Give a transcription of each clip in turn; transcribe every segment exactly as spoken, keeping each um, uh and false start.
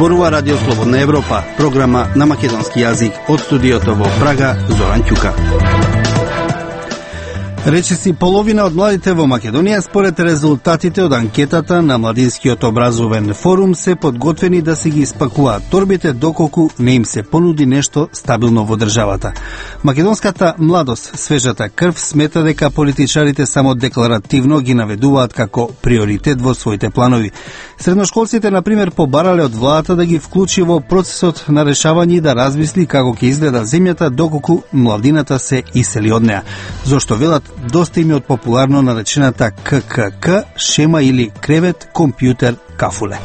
Зборува Радио Слободна Европа, програма на македонски јазик од студиото во Прага, Зоран Ќука. Речиси половина од младите во Македонија според резултатите од анкетата на Младинскиот образовен форум се подготвени да се ги испакуваат торбите доколку не им се понуди нешто стабилно во државата. Македонската младост, свежата крв, смета дека политичарите само декларативно ги наведуваат како приоритет во своите планови. Средношколците, например, побарале од владата да ги вклучи во процесот на решавање и да размисли како ќе изгледа земјата доколку младината се исели од неа. Зошто велат доста им е од популарно наречената К К К, шема или кревет, компјутер, кафуле.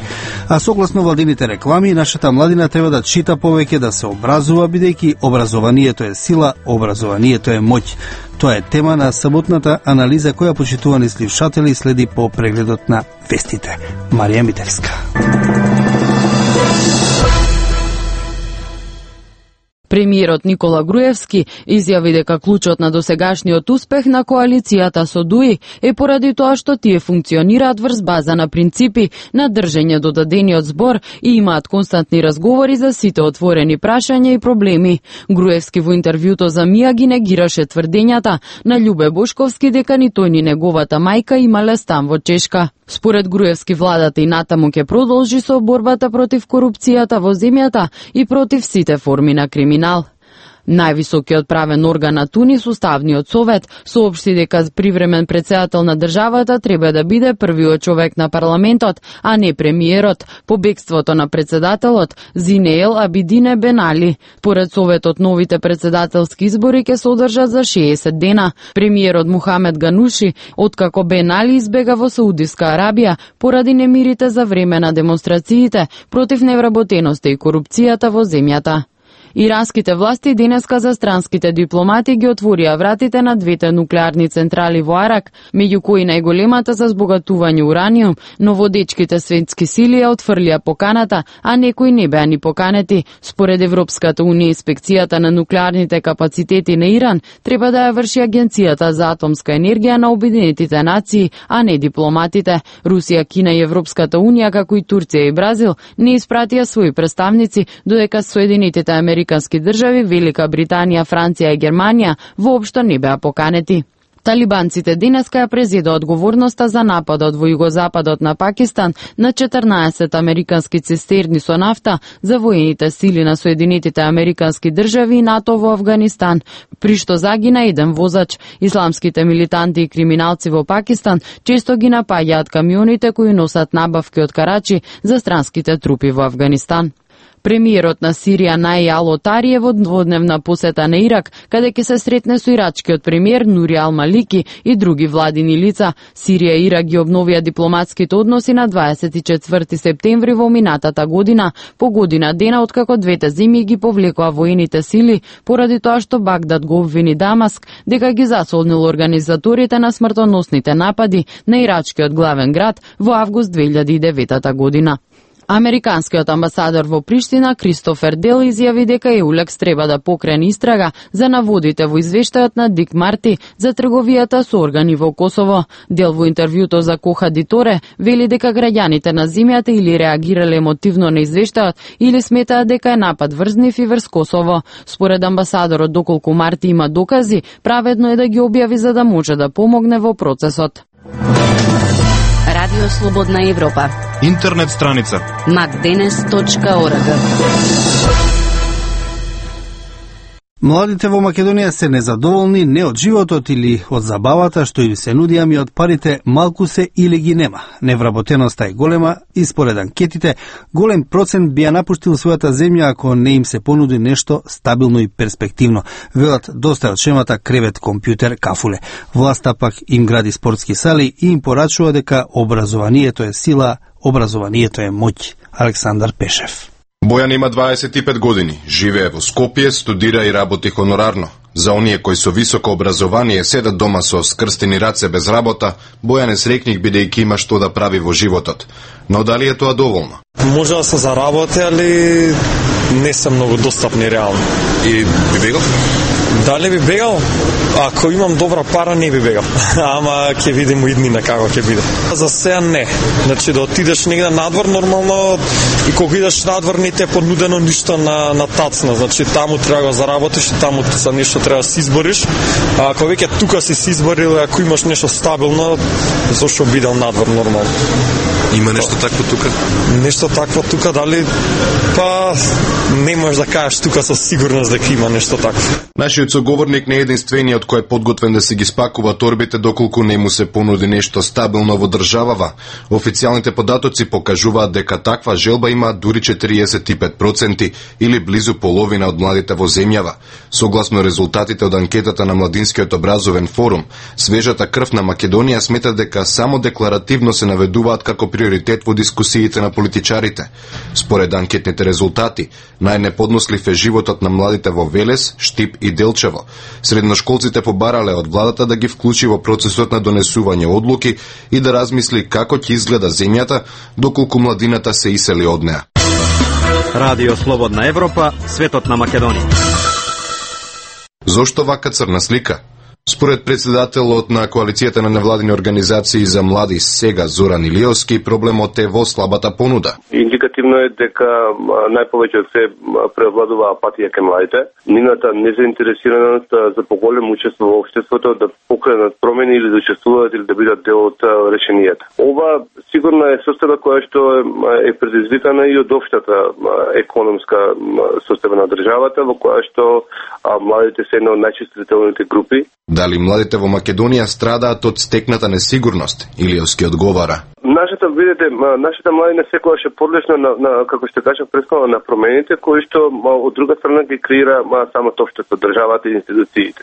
А согласно владините реклами, нашата младина треба да чита повеќе, да се образува, бидејќи образованието е сила, образованието е моќ. Тоа е тема на саботната анализа која почитувани слушатели следи по прегледот на вестите. Марија Митевска. Премиерот Никола Груевски изјави дека клучот на досегашниот успех на коалицијата со ДУИ е поради тоа што тие функционираат врз база на принципи на држење до дадениот збор и имаат константни разговори за сите отворени прашања и проблеми. Груевски во интервјуто за МИА ги негираше тврдењата на Љубе Бошковски дека ни тој ни неговата мајка имале стан во Чешка. Според Груевски, владата и натаму ќе продолжи со борбата против корупцијата во земјата и против сите форми на криминал. Највисокиот правен орган на Тунис, Уставниот совет, соопшти дека привремен претседател на државата треба да биде првиот човек на парламентот, а не премиерот, по бегството на претседателот Зинеел Абидине Бен Али. Поред советот, новите претседателски избори ќе се одржат за шеесет дена. Премиерот Мухамед Гануши, откако Бен Али избега во Саудиска Арабија поради немирите за време на демонстрациите против невработеноста и корупцијата во земјата. Иранските власти денеска за странските дипломати ги отворија вратите на двете нуклеарни централи во Арак, меѓу кои најголемата за збогатување ураниум, но водечките светски сили ја отфрлија поканата, а некои не беа ни поканети. Според Европската унија, инспекцијата на нуклеарните капацитети на Иран треба да ја врши Агенцијата за атомска енергија на Обединетите нации, а не дипломатите. Русија, Кина и Европската унија, како и Турција и Бразил, не испратија своји представници, додека Соединетите Американски држави, Велика Британија, Франција и Германија воопшто не беа поканети. Талибанците денеска ја презеда одговорноста за нападот во југозападот на Пакистан на четрнаесет американски цистерни со нафта за воените сили на Соединетите Американски држави и НАТО во Авганистан, при што загина еден возач. Исламските милитанти и криминалци во Пакистан често ги напаѓаат камионите кои носат набавки од Карачи за странските трупи во Авганистан. Премиерот на Сирија Наи Ал-Отари е во дводневна посета на Ирак, каде ќе се сретне со ирачкиот премиер Нури Ал-Малики и други владини лица. Сирија и Ирак ги обновија дипломатските односи на дваесет и четврти септември во минатата година, по година дена откако двете земји ги повлекоа воените сили поради тоа што Багдад го обвини Дамаск дека ги засолнил организаторите на смртоносните напади на ирачкиот главен град во август две илјади и девета година. Американскиот амбасадор во Приштина Кристофер Дел изјави дека ЕУЛЕКС треба да покрене истрага за наводите во извештајот на Дик Марти за трговијата со органи во Косово. Дел во интервјуто за Коха Диторе вели дека граѓаните на земјата или реагирале емотивно на извештајот или сметаат дека е напад врз нив и врз Косово. Според амбасадорот, доколку Марти има докази, праведно е да ги објави за да може да помогне во процесот. Радио Слободна Европа. Интернет страница мак денес точка орг. Младите во Македонија се незадоволни не од животот или од забавата што им се нуди, ами од парите малку се или ги нема. Невработеноста е голема и според анкетите голем процент би ја напуштил својата земја ако не им се понуди нешто стабилно и перспективно. Велат доста од шемата кревет, компјутер, кафуле. Власта пак им гради спортски сали и им порачува дека образованието е сила, образованието е моќ. Александар Пешев. Бојан има дваесет и пет години, живее во Скопје, студира и работи хонорарно. За оние кои со високо образование седат дома со скрстени раце без работа, Бојан е среќник бидејќи има што да прави во животот. Но дали е тоа доволно? Може да се заработи, али не се многу достапни реално. И би бегал? Дали би бегал? Ако имам добра пара, не би бегал. Ама ќе видиме иднина како ќе биде. За сега не. Значи да отидеш негде надвор нормално и кога идеш надвор не те понудено ништо на на тацна. Значи таму треба да заработиш и таму за нешто треба да се избориш. А ако веќе тука си се изборил, ако имаш нешто стабилно, зошто бидел надвор нормално. Има нешто такво тука? Нешто такво тука, дали? Па не можеш да кажеш тука со сигурност дека има нешто такво. Нашиот соговорник не е единствениот кој е подготвен да си ги спакува торбите доколку не му се понуди нешто стабилно во државава. Официјалните податоци покажуваат дека таква желба има дури четириесет и пет проценти или близу половина од младите во земјава. Согласно резултатите од анкетата на Младинскиот образовен форум, свежата крв на Македонија смета дека само декларативно се наведуваат како приоритет во дискусиите на политичарите. Според анкетните резултати, најнеподнослив е животот на младите во Велес, Штип и Делчево. Средношколците побарале од владата да ги вклучи во процесот на донесување одлуки и да размисли како ќе изгледа земјата доколку младината се исели од неа. Радио Слободна Европа, светот на Македонија. Зошто вака црна слика? Според председателот на коалицијата на невладини организации за млади сега Зоран Илиовски, проблемот е во слабата понуда. Индикативно е дека најповеќе од се превладува апатија кај младите, нивната незаинтересираност за поголемо учество во општеството да покренат промени или да учествуваат или да бидат дел од решенијата. Ова сигурно е состојба која што е предизвикана и од општата економска состојба на државата, во која што младите се една од најчувствителните групи. Дали младите во Македонија страдаат од стекната несигурност? Илиовски одговара. Нашата, видите, нашата младина секогаш е подлежна на, на како што кажам прескола на промените кои што од друга страна ги креира самото општество, државата и институциите.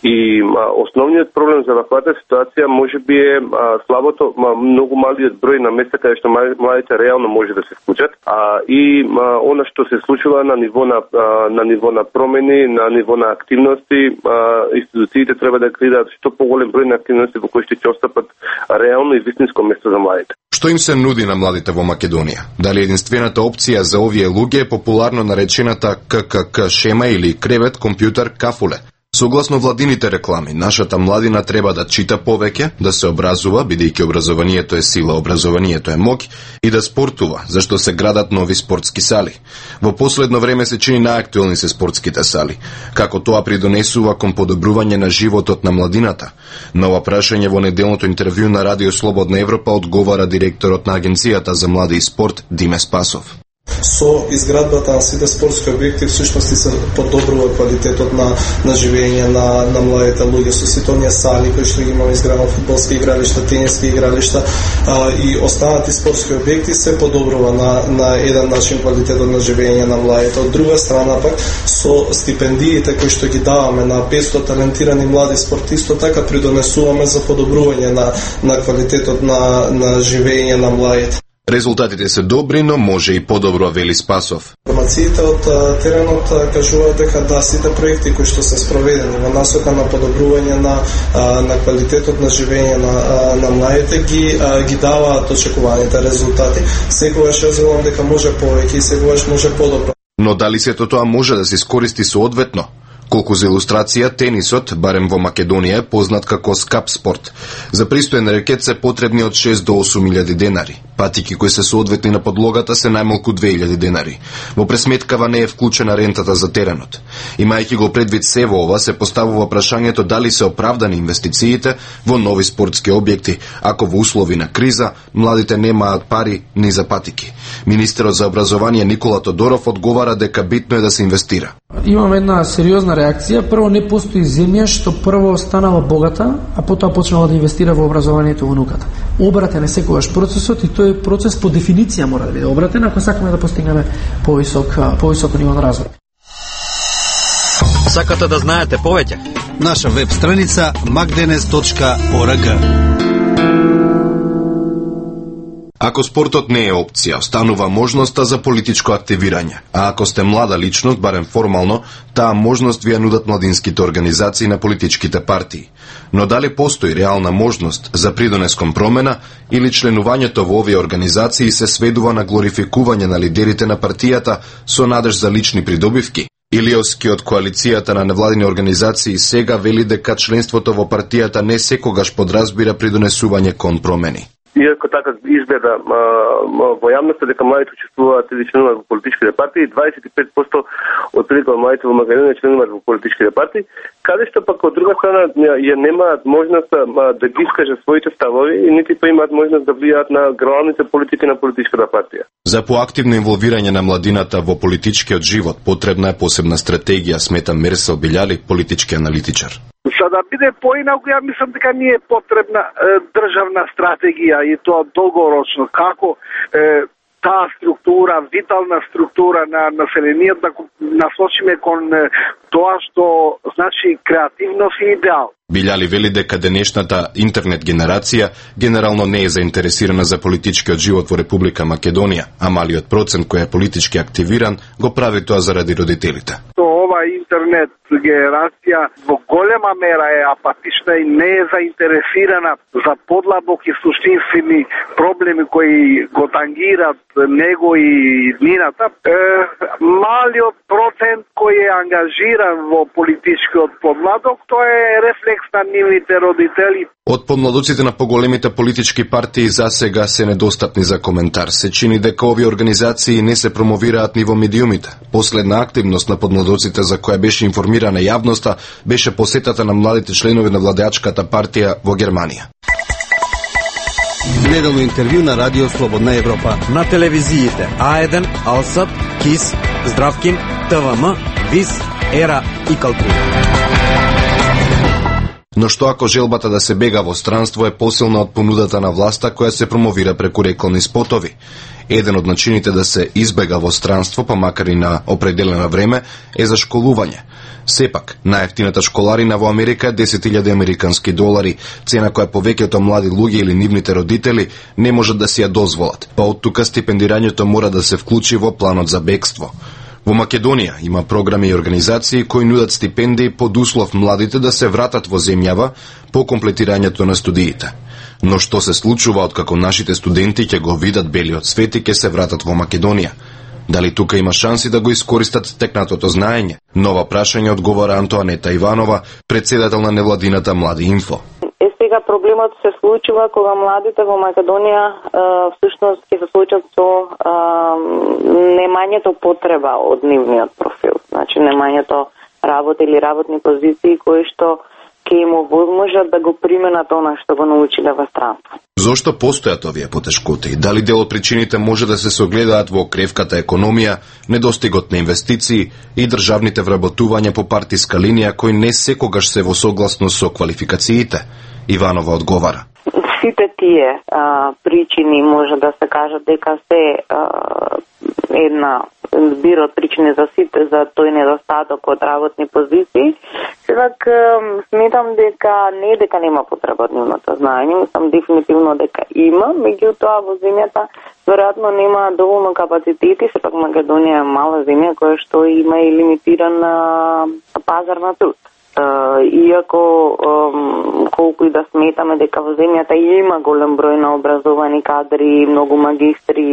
И ма, основниот проблем за ваквата ситуација можеби е а, слабото, ма, многу малиот број на места каде што младите реално може да се вклучат, а и ма, она што се случува на ниво на а, на ниво на промени, на ниво на активности, а, институциите треба да креираат што поголем број на активности во кои што ќе отстапат реално и вистинско место за младите. Што им се нуди на младите во Македонија? Дали единствената опција за овие луѓе е популарно наречената К К К шема или кревет, компјутер, кафуле? Согласно владините реклами, нашата младина треба да чита повеќе, да се образува, бидејќи образованието е сила, образованието е моќ, и да спортува, зашто се градат нови спортски сали. Во последно време се чини најактуелни се спортските сали. Како тоа придонесува кон подобрување на животот на младината? На ова прашање во неделното интервју на Радио Слободна Европа одговара директорот на Агенцијата за млади и спорт Диме Спасов. Со изградбата на сите спортски објекти всушност се подобрува квалитетот на на живење на на младите луѓе со сите оние сали кои што ги имаме изградено, фудбалски игралишта, тениски игралишта а, и останати спортски објекти се подобрува на на еден начин квалитетот на живење на младите. Од друга страна пак со стипендиите кои што ги даваме на петсто талентирани млади спортисти, така придонесуваме за подобрување на на квалитетот на на живење на младите. Резултатите се добри, но може и подобро, вели Спасов. Информациите од теренот кажуваат дека да сите проекти кои што се спроведени во насока на подобрување на на квалитетот на живење на на младите ги ги даваат очекуваните резултати. Секогаш ја велам дека може повеќе и секогаш може подобро. Но дали сето тоа може да се искористи соодветно? Колку за илустрација, тенисот, барем во Македонија, е познат како скап спорт. За пристоен рекет се потребни од шест до осум илјади денари. Патики кои се соодветни на подлогата се најмалку две илјади денари. Во пресметкава не е вклучена рентата за теренот. Имајќи го предвид се во ова, се поставува прашањето дали се оправдани инвестициите во нови спортски објекти, ако во услови на криза младите немаат пари ни за патики. Министерот за образование Никола Тодоров одговара дека битно е да се инвестира. Имаме една сериозна реакција. Прво, не постои земја што прво станала богата, а потоа почнала да инвестира во образованието во науката. Обратен е секогаш процесот и тој процес по дефиниција мора да биде обратен ако сакаме да постигнеме повисок повисок ниво на развој. Сакате да знаете повеќе? Наша веб страница макденес точка орг. Ако спортот не е опција, останува можноста за политичко активирање. А ако сте млада личност, барем формално, таа можност ви ја нудат младинските организации на политичките партии. Но дали постои реална можност за придонес кон промена или членувањето во овие организации се сведува на глорификување на лидерите на партијата со надеж за лични придобивки? Илиовски од коалицијата на невладини организации сега вели дека членството во партијата не секогаш подразбира придонесување кон промени. Иако така изгледа а, во јавноста дека младите учествуваат или членуваат во политичките партии, дваесет и пет проценти од прилика младите во Македонија членуваат во политичките партии, каде што пак од друга страна ја немаат можност а, да ги искажат своите ставови и нити па имаат можност да влијаат на главните политики на политичката партија. За поактивно инволвирање на младината во политичкиот живот потребна е посебна стратегија, смета Мерсел Билјали, политички аналитичар. За да биде поинаку, ја мислам дека ни е потребна е, државна стратегија и тоа долгорочно. Како е, таа структура, витална структура на населението да насочиме кон е, тоа што значи креативност и идеал. Билјали вели дека денешната интернет генерација генерално не е заинтересирана за политичкиот живот во Република Македонија, а малиот процент кој е политички активиран го прави тоа заради родителите. Ова интернет генерација во голема мера е апатична и не е заинтересирана за подлабоки суштинствени проблеми кои го тангират него и нивната. Е, малиот процент кој е ангажиран во политичкиот подмладок, тоа е рефлекс на нивните родители. Од помладоците на поголемите политички партии засега се недостапни за коментар. Се чини дека овие организации не се промовираат ни во медиумите. Последна активност на подмладоците за која беше информирана јавноста беше посетата на младите членови на владеачката партија во Германија. Неделно интервју на Радио Слободна Европа. На телевизиите А еден, Алсат, КИС, Здравкин, ТВМ, ВИС, Ера и Калтри. Но што ако желбата да се бега во странство е посилна од понудата на власта која се промовира преку реклами спотови? Еден од начините да се избега во странство, па макар и на определено време, е за школување. Сепак, најефтината школарина во Америка е десет илјади американски долари, цена која повеќето млади луѓе или нивните родители не можат да си ја дозволат, па од тука стипендирањето мора да се вклучи во планот за бегство. Во Македонија има програми и организации кои нудат стипендии под услов младите да се вратат во земјава по комплетирањето на студиите. Но што се случува откако нашите студенти ќе го видат белиот свет и ќе се вратат во Македонија? Дали тука има шанси да го искористат стекнатото знаење? Нова прашање одговара Антоанета Иванова, председател на невладината Млади Инфо. Е, сега проблемот се случува кога младите во Македонија е, всушност ќе се случат со е, немањето потреба од нивниот профил. Значи немањето работа или работни позиции кои што ќе им овозможат да го применат она што го научиле во странство. Зошто постојат овие потешкоти? Дали дел од причините може да се согледаат во кревката економија, недостигот на инвестиции и државните вработувања по партиска линија кои не секогаш се во согласност со квалификациите? Иванова одговара. Сите тие а, причини може да се кажат дека се а, една збир од причини за сите за тој недостаток од работни позиции. Сепак сметам дека не дека нема потреба од нивното знаење, мислам дефинитивно дека има, меѓутоа во земјата веројатно нема доволно капацитети, сепак Македонија е мала земја која што има и лимитиран пазар на труд. Uh, иако um, колку и да сметаме дека во земјата има голем број на образовани кадри, многу магистри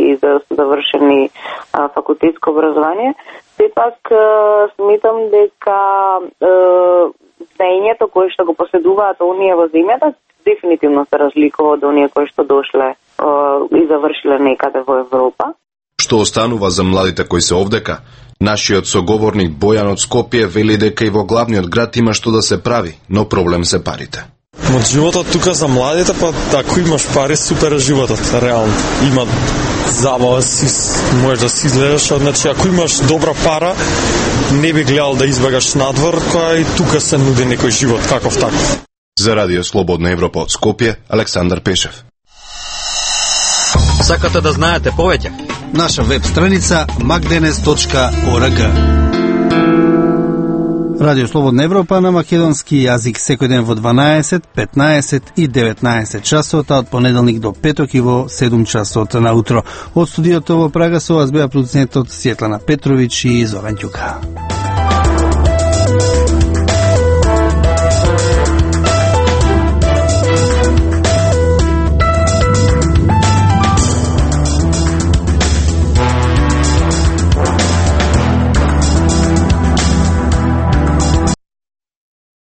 и за завршени uh, факултетско образование, сепак uh, сметам дека uh, знаењето кое што го поседуваат оние во земјата дефинитивно се разликува од оние кои што дошле uh, и завршиле некаде во Европа. Што останува за младите кои се овдека? Нашиот соговорник Бојан од Скопје вели дека и во главниот град има што да се прави, но проблем се парите. Од животот тука за младите, па ако имаш пари, супер е животот, реално. Има забава, си, можеш да си изгледаш, значи ако имаш добра пара, не би гледал да избегаш надвор, која и тука се нуди некој живот, каков таков. За Радио Слободна Европа од Скопје, Александар Пешев. Сакате да знаете повеќе? Наша веб страница макденес точка орг. Радио Слободна Европа на македонски јазик секој ден во дванаесет, петнаесет и деветнаесет часот, од понеделник до петок и во седум часот наутро. Од студиото во Прага со вас беа продуцентот Светлана Петровиќ и Зоран Ѓука.